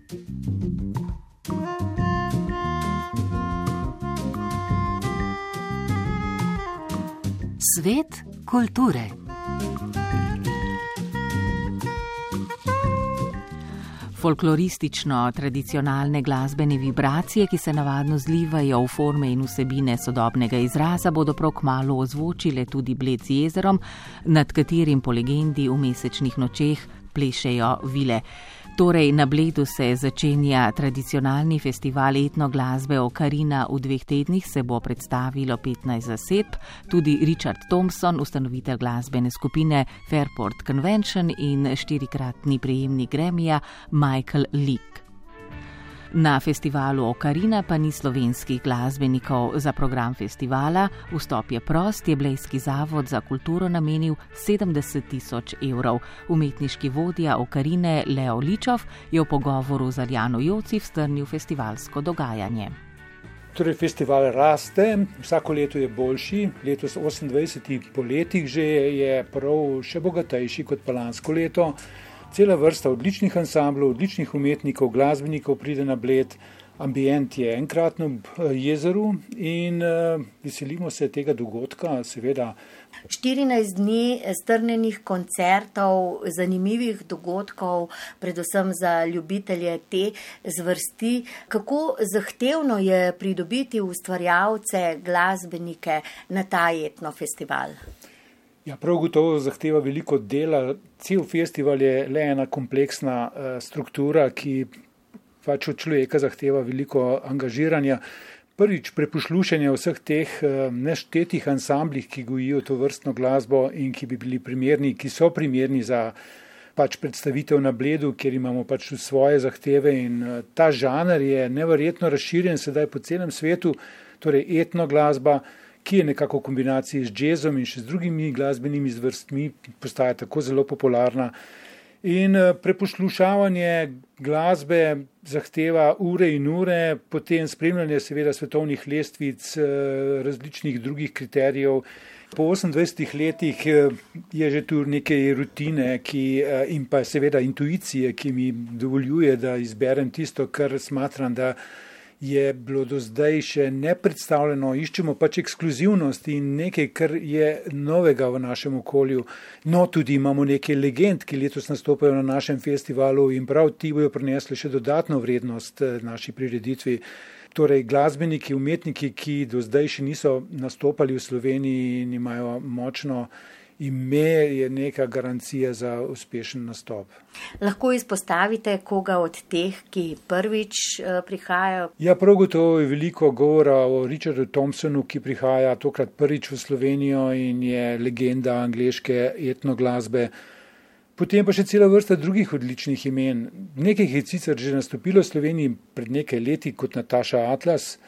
Svet kulture. Folkloristično-tradicionalne glasbene vibracije, ki se navadno zlivajo v forme in vsebine sodobnega izraza, bodo prav kmalu ozvočile tudi Bled z jezerom, nad katerim po legendi v mesečnih nočeh plešejo vile. Torej, na Bledu se začenja tradicionalni festival etnoglasbe Okarina. V 2 tednih se bo predstavilo 15 zasedb, tudi Richard Thompson, ustanovitelj glasbene skupine Fairport Convention in 4-kratni prejemnik Grammyja Michael Leake. Na festivalu Okarina pa ni slovenskih glasbenikov. Za program festivala Vstop je prost je Blejski zavod za kulturo namenil 70 000 evrov. Umetniški vodja Okarine Leo Ličov je v pogovoru z Aljano Jocif strnil festivalsko dogajanje. Torej, festival raste, vsako leto je boljši, letos 28 po letih že je prav še bogatejši kot pa lansko leto. Cela vrsta odličnih ansamblov, odličnih umetnikov, glasbenikov pride na Bled. Ambient je enkratno ob jezeru in veselimo se tega dogodka, seveda. 14 dni strnjenih koncertov, zanimivih dogodkov, predvsem za ljubitelje te zvrsti. Kako zahtevno je pridobiti ustvarjalce, glasbenike na ta etnofestival? Ja, prav gotovo zahteva veliko dela. Cel festival je le ena kompleksna struktura, ki pač od človeka zahteva veliko angažiranja. Prvič, preposlušanje vseh teh neštetih ansamblih, ki gojijo to vrstno glasbo in ki bi bili primerni, ki so primerni za pač predstavitev na Bledu, kjer imamo pač svoje zahteve in ta žanr je neverjetno razširjen sedaj po celem svetu, torej etnoglasba, ki je nekako v kombinaciji z džezom in še z drugimi glasbenimi zvrstmi postaja tako zelo popularna. In preposlušavanje glasbe zahteva ure in ure, potem spremljanje seveda svetovnih lestvic, različnih drugih kriterijev. Po 28 letih je že tu nekaj rutine in pa seveda intuicije, ki mi dovoljuje, da izberem tisto, kar smatram, da je bilo do zdaj še nepredstavljeno. Iščemo pač ekskluzivnost in nekaj, kar je novega v našem okolju. No, tudi imamo nekaj legend, ki letos nastopajo na našem festivalu in prav ti bojo prinesli še dodatno vrednost naši prireditvi. Torej, glasbeniki, umetniki, ki do zdaj še niso nastopali v Sloveniji in imajo močno ime, je neka garancija za uspešen nastop. Lahko izpostavite koga od teh, ki prvič prihajajo? Ja, prav gotovo je veliko govora o Richardu Thompsonu, ki prihaja tokrat prvič v Slovenijo in je legenda angleške etnoglasbe. Potem pa še cela vrsta drugih odličnih imen. Nekaj je sicer že nastopilo v Sloveniji pred nekaj leti kot Nataša Atlas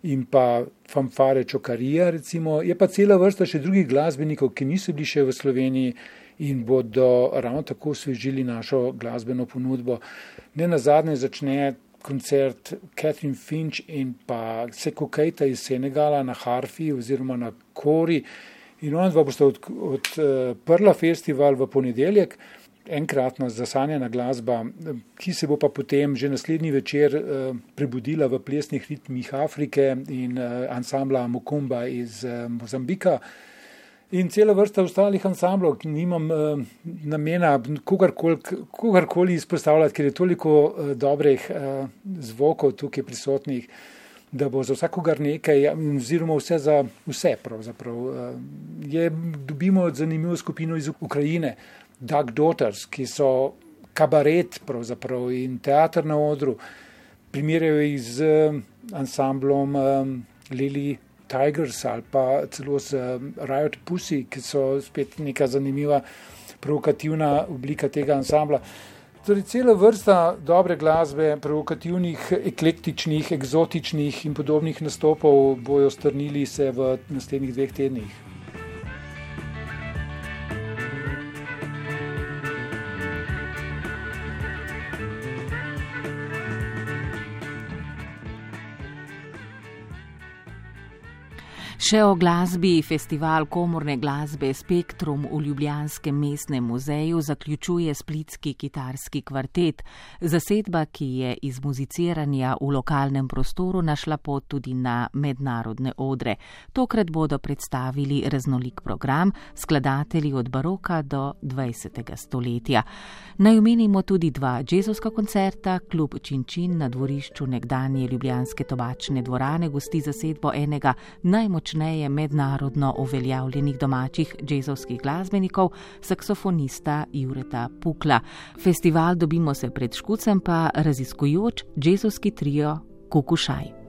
in pa Fanfare Čokarija, recimo. Je pa cela vrsta še drugih glasbenikov, ki niso bili še v Sloveniji in bodo ravno tako osvežili našo glasbeno ponudbo. Nenazadnje začne koncert Catherine Finch in pa Seko Keita iz Senegala na harfi oziroma na kori. In ona dva bosta odprla festival v ponedeljek. Enkratna zasanjena glasba, ki se bo pa potem že naslednji večer prebudila v plesnih ritmih Afrike in ansambla Mukumba iz Mozambika. In cela vrsta ostalih ansamblov, nimam namena kogarkoli izpostavljati, ker je toliko dobrih zvokov tukaj prisotnih, da bo za vsakogar nekaj, oziroma vse za vse pravzaprav. Dobimo zanimivo skupino iz Ukrajine, Duck Daughters, ki so kabaret pravzaprav in teater na odru. Primerjajo jih z ansamblom Lily Tigers ali pa celo z Riot Pussy, ki so spet neka zanimiva provokativna oblika tega ansambla. Torej, cela vrsta dobre glasbe, provokativnih, eklektičnih, eksotičnih in podobnih nastopov bojo strnili se v naslednjih 2 tednih. Še o glasbi. Festival komorne glasbe Spektrum v Ljubljanskem mestnem muzeju zaključuje splitski kitarski kvartet. Zasedba, ki je iz muziciranja v lokalnem prostoru našla pot tudi na mednarodne odre. Tokrat bodo predstavili raznolik program, skladatelji od baroka do 20. stoletja. Naj omenimo tudi 2 džezovska koncerta. Klub Činčin na dvorišču nekdanje ljubljanske tobačne dvorane gosti zasedbo enega najmočneje mednarodno uveljavljenih domačih džezovskih glasbenikov, saksofonista Jureta Pukla. Festival Dobimo se pred Škucem pa raziskujoč džezovski trio Kukušaj.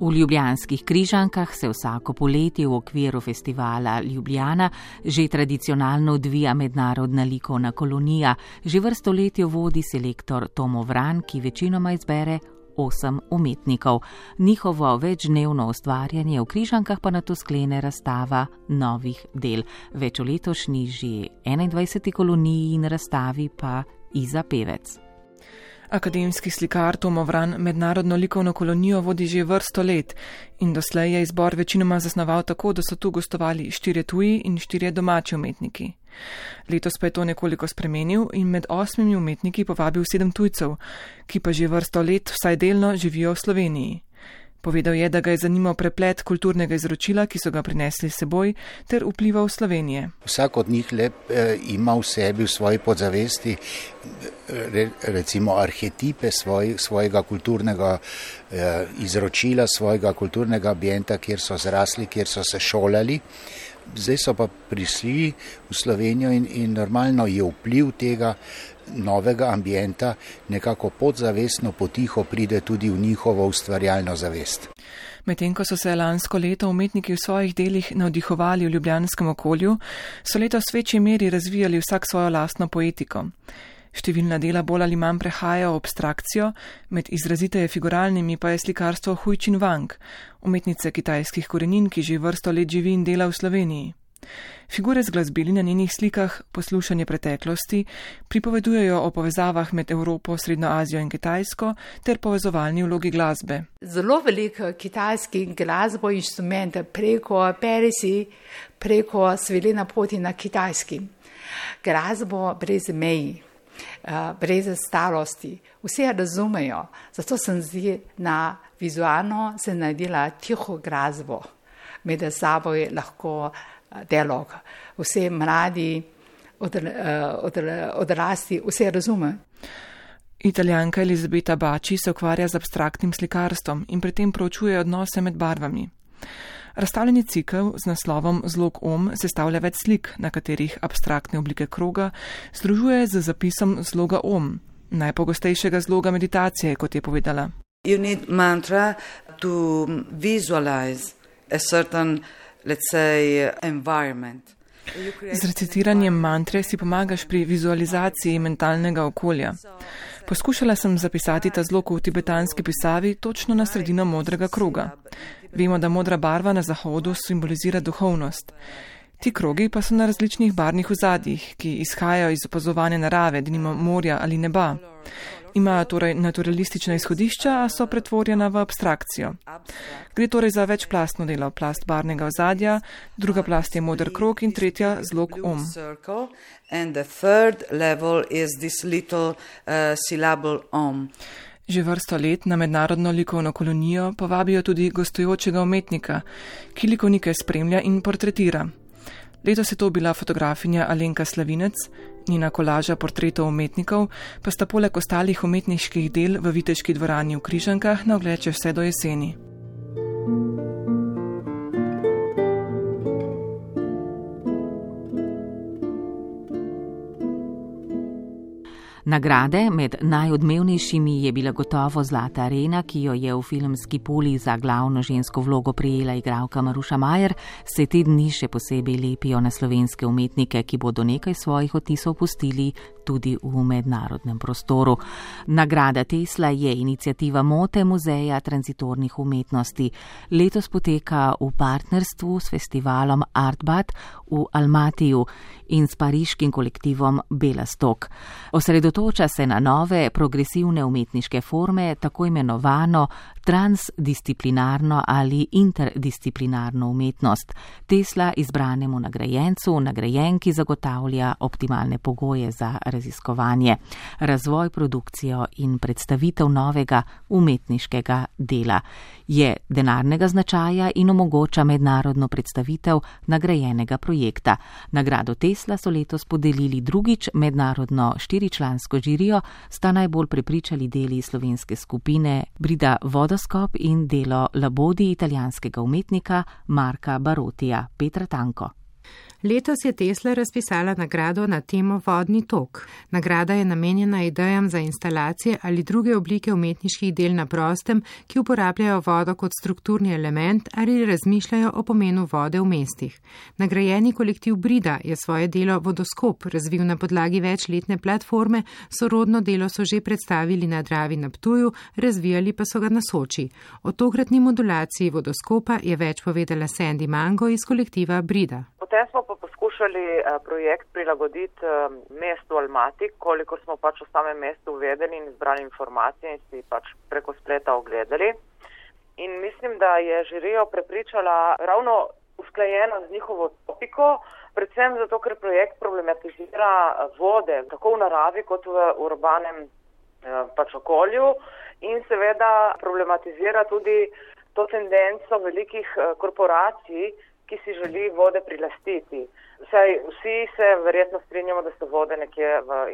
V ljubljanskih Križankah se vsako poletje v okviru festivala Ljubljana že tradicionalno odvija mednarodna likovna kolonija. Že vrsto let jo vodi selektor Tomo Vran, ki večinoma izbere 8 umetnikov. Njihovo večdnevno ustvarjanje v Križankah pa nato sklene razstava novih del. Več o letošnji že 21. koloniji in razstavi pa Iza Pevec. Akademski slikar Tomo Vran mednarodno likovno kolonijo vodi že vrsto let in doslej je izbor večinoma zasnoval tako, da so tu gostovali 4 tuji in 4 domači umetniki. Letos pa je to nekoliko spremenil in med 8 umetniki povabil 7 tujcev, ki pa že vrsto let vsaj delno živijo v Sloveniji. Povedal je, da ga je zanimal preplet kulturnega izročila, ki so ga prinesli s seboj, ter vplival Slovenije. Vsak od njih ima v sebi, v svoji podzavesti, recimo arhetipe svojega kulturnega izročila, svojega kulturnega ambienta, kjer so zrasli, kjer so se šolali. Zdaj so pa prišli v Slovenijo in normalno je vpliv tega novega ambienta nekako podzavestno potiho pride tudi v njihovo ustvarjalno zavest. Medtem ko so se lansko leto umetniki v svojih delih navdihovali v ljubljanskem okolju, so letos v večji meri razvijali vsak svojo lastno poetiko. Številna dela bolj ali manj prehajajo v abstrakcijo, med izraziteje figuralnimi pa je slikarstvo Hui Chin Wang, umetnice kitajskih korenin, ki že vrsto let živi in dela v Sloveniji. Figure z glasbili na njenih slikah, poslušanje preteklosti, pripovedujejo o povezavah med Evropo, Srednjo Azijo in Kitajsko ter povezovalni vlogi glasbe. Zelo veliko kitajskih glasbo inštrumente preko Persi, preko svilena poti na kitajski. Glasbo brez meji, brez starosti, vse razumejo, zato sem zdi na vizualno se naredila tiho glasbo, med seboj lahko dialog. Vse mladi, odrasli, vse razume. Italijanka Elizabeta Baci se ukvarja z abstraktnim slikarstvom in pri tem proučuje odnose med barvami. Razstavljeni cikel z naslovom Zlog Om sestavlja več slik, na katerih abstraktne oblike kroga združuje z zapisom zloga Om, najpogostejšega zloga meditacije, kot je povedala. You need mantra to visualize a certain, let's say, environment. Z recitiranjem mantre si pomagaš pri vizualizaciji mentalnega okolja. Poskušala sem zapisati ta zlog v tibetanski pisavi točno na sredino modrega kroga. Vemo, da modra barva na zahodu simbolizira duhovnost. Ti krogi pa so na različnih barvnih ozadjih, ki izhajajo iz opazovanja narave, denimo morja ali neba. Imajo torej naturalistična izhodišča, a so pretvorjena v abstrakcijo. Gre torej za večplastno delo, plast barvnega ozadja, druga plast je moder krog in tretja zlog Om. Že vrsto let na mednarodno likovno kolonijo povabijo tudi gostujočega umetnika, ki likovnike spremlja in portretira. Letos je to bila fotografinja Alenka Slavinec, njena kolaža portretov umetnikov pa sta poleg ostalih umetniških del v Viteški dvorani v Križankah na ogled še vse do jeseni. Nagrade med najodmevnejšimi je bila gotovo Zlata arena, ki jo je v filmski puli za glavno žensko vlogo prijela igralka Maruša Majer, se te dni še posebej lepijo na slovenske umetnike, ki bodo nekaj svojih odtisov pustili tudi v mednarodnem prostoru. Nagrada Tesla je iniciativa Mote Muzeja tranzitornih umetnosti. Letos poteka v partnerstvu s festivalom Artbat v Almatiju in s pariškim kolektivom Belastok. Osredotoča se na nove progresivne umetniške forme, tako imenovano transdisciplinarno ali interdisciplinarno umetnost. Tesla izbranemu nagrajencu, nagrajenki zagotavlja optimalne pogoje za raziskovanje, razvoj, produkcijo in predstavitev novega umetniškega dela. Je denarnega značaja in omogoča mednarodno predstavitev nagrajenega projekta. Nagrado Tesla so letos podelili drugič, mednarodno 4-člansko žirijo sta najbolj prepričali deli slovenske skupine Brida Vodoskop in delo Labodi italijanskega umetnika Marka Barotija. Petra Tanko. Letos je Tesla razpisala nagrado na temo Vodni tok. Nagrada je namenjena idejam za instalacije ali druge oblike umetniških del na prostem, ki uporabljajo vodo kot strukturni element ali razmišljajo o pomenu vode v mestih. Nagrajeni kolektiv Brida je svoje delo Vodoskop razvil na podlagi večletne platforme, sorodno delo so že predstavili na Dravi na Ptuju, razvijali pa so ga na Soči. O tokratni modulaciji Vodoskopa je več povedala Sandy Mango iz kolektiva Brida. Potem smo pa poskušali projekt prilagoditi mestu Almati, kolikor smo pač v samem mestu uvedeni in izbrali informacije in si pač preko spleta ogledali. In mislim, da je žirijo prepričala ravno usklajeno z njihovo topiko, predvsem zato, ker projekt problematizira vode tako v naravi kot v urbanem pač okolju in seveda problematizira tudi to tendenco velikih korporacij, ki si želi vode prilastiti. Saj vsi se verjetno strinjamo, da so vode nekje v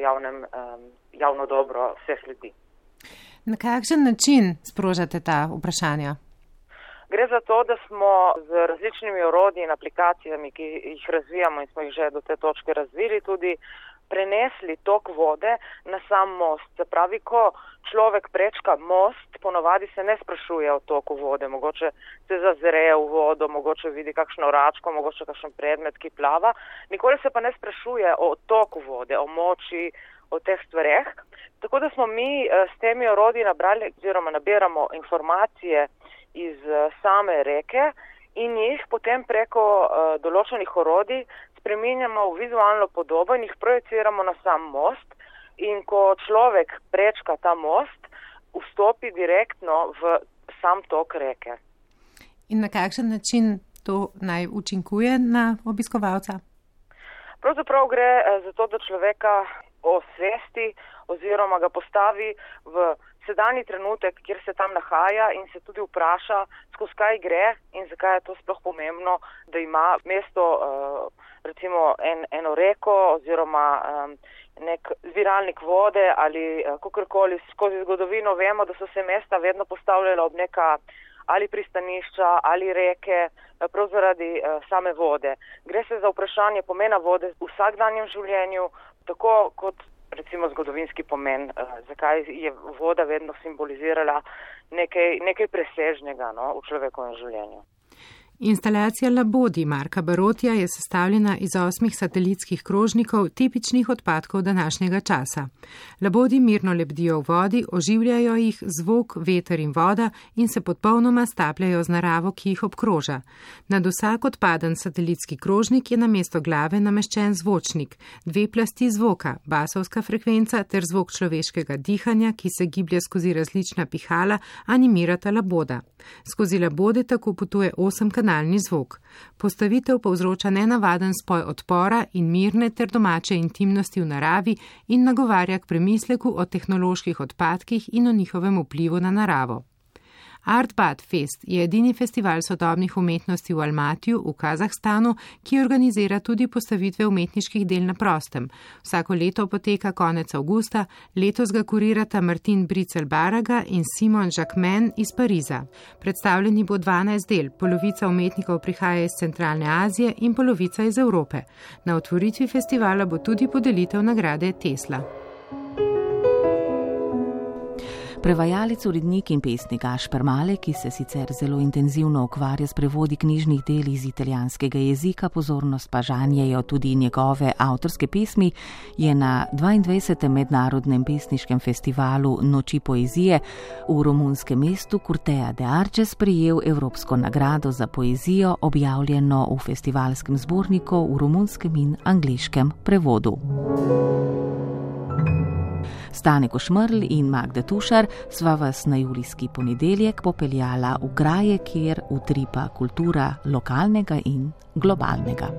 javno dobro vseh ljudi. Na kakšen način sprožate ta vprašanja? Gre za to, da smo z različnimi orodji in aplikacijami, ki jih razvijamo in smo jih že do te točke razvili, tudi prenesli tok vode na sam most. Se pravi, ko človek prečka most, ponovadi se ne sprašuje o toku vode, mogoče se zazre v vodo, mogoče vidi kakšno račko, mogoče kakšen predmet, ki plava. Nikoli se pa ne sprašuje o toku vode, o moči, o teh stvareh. Tako da smo mi s temi orodji nabrali oziroma nabiramo informacije iz same reke in jih potem preko določenih orodij spreminjamo v vizualno podobo in jih projeciramo na sam most in ko človek prečka ta most, vstopi direktno v sam tok reke. In na kakšen način to naj učinkuje na obiskovalca? Pravzaprav gre za to, da človeka osvesti oziroma ga postavi v sedanji trenutek, kjer se tam nahaja in se tudi vpraša, skozi kaj gre in zakaj je to sploh pomembno, da ima mesto recimo eno reko oziroma nek zbiralnik vode ali kakorkoli. Skozi zgodovino vemo, da so se mesta vedno postavljala ob neka ali pristanišča ali reke, prav zaradi same vode. Gre se za vprašanje pomena vode v vsakdanjem življenju, tako kot recimo zgodovinski pomen, zakaj je voda vedno simbolizirala nekaj presežnega v človekovem življenju. Instalacija Labodi Marka Barotija je sestavljena iz 8 satelitskih krožnikov, tipičnih odpadkov današnjega časa. Labodi mirno lebdijo v vodi, oživljajo jih zvok, veter in voda in se popolnoma stapljajo z naravo, ki jih obkroža. Nad vsak odpaden satelitski krožnik je namesto glave nameščen zvočnik, 2 plasti zvoka, basovska frekvenca ter zvok človeškega dihanja, ki se giblje skozi različna pihala, animirata Laboda. Skozi Labode tako potuje 8-kanalni zvok. Postavitev povzroča nenavaden spoj odpora in mirne ter domače intimnosti v naravi in nagovarja k premisleku o tehnoloških odpadkih in o njihovem vplivu na naravo. Artbat Fest je edini festival sodobnih umetnosti v Almatiju v Kazahstanu, ki organizira tudi postavitve umetniških del na prostem. Vsako leto poteka konec avgusta, letos ga kurirata Martin Bricel-Baraga in Simon Jacquemin iz Pariza. Predstavljeni bo 12 del, polovica umetnikov prihaja iz Centralne Azije in polovica iz Evrope. Na otvoritvi festivala bo tudi podelitev nagrade Tesla. Prevajalec, urednik in pesnik Gašper Malek, ki se sicer zelo intenzivno ukvarja s prevodi knjižnih del iz italijanskega jezika, pozornost pa žanjejo tudi njegove avtorske pesmi, je na 22. mednarodnem pesniškem festivalu Noči poezije v romunskem mestu Curtea de Arges prejel Evropsko nagrado za poezijo, objavljeno v festivalskem zborniku v romunskem in angleškem prevodu. Stane Košmerl in Magda Tušar sva vas na julijski ponedeljek popeljala v kraje, kjer utripa kultura lokalnega in globalnega.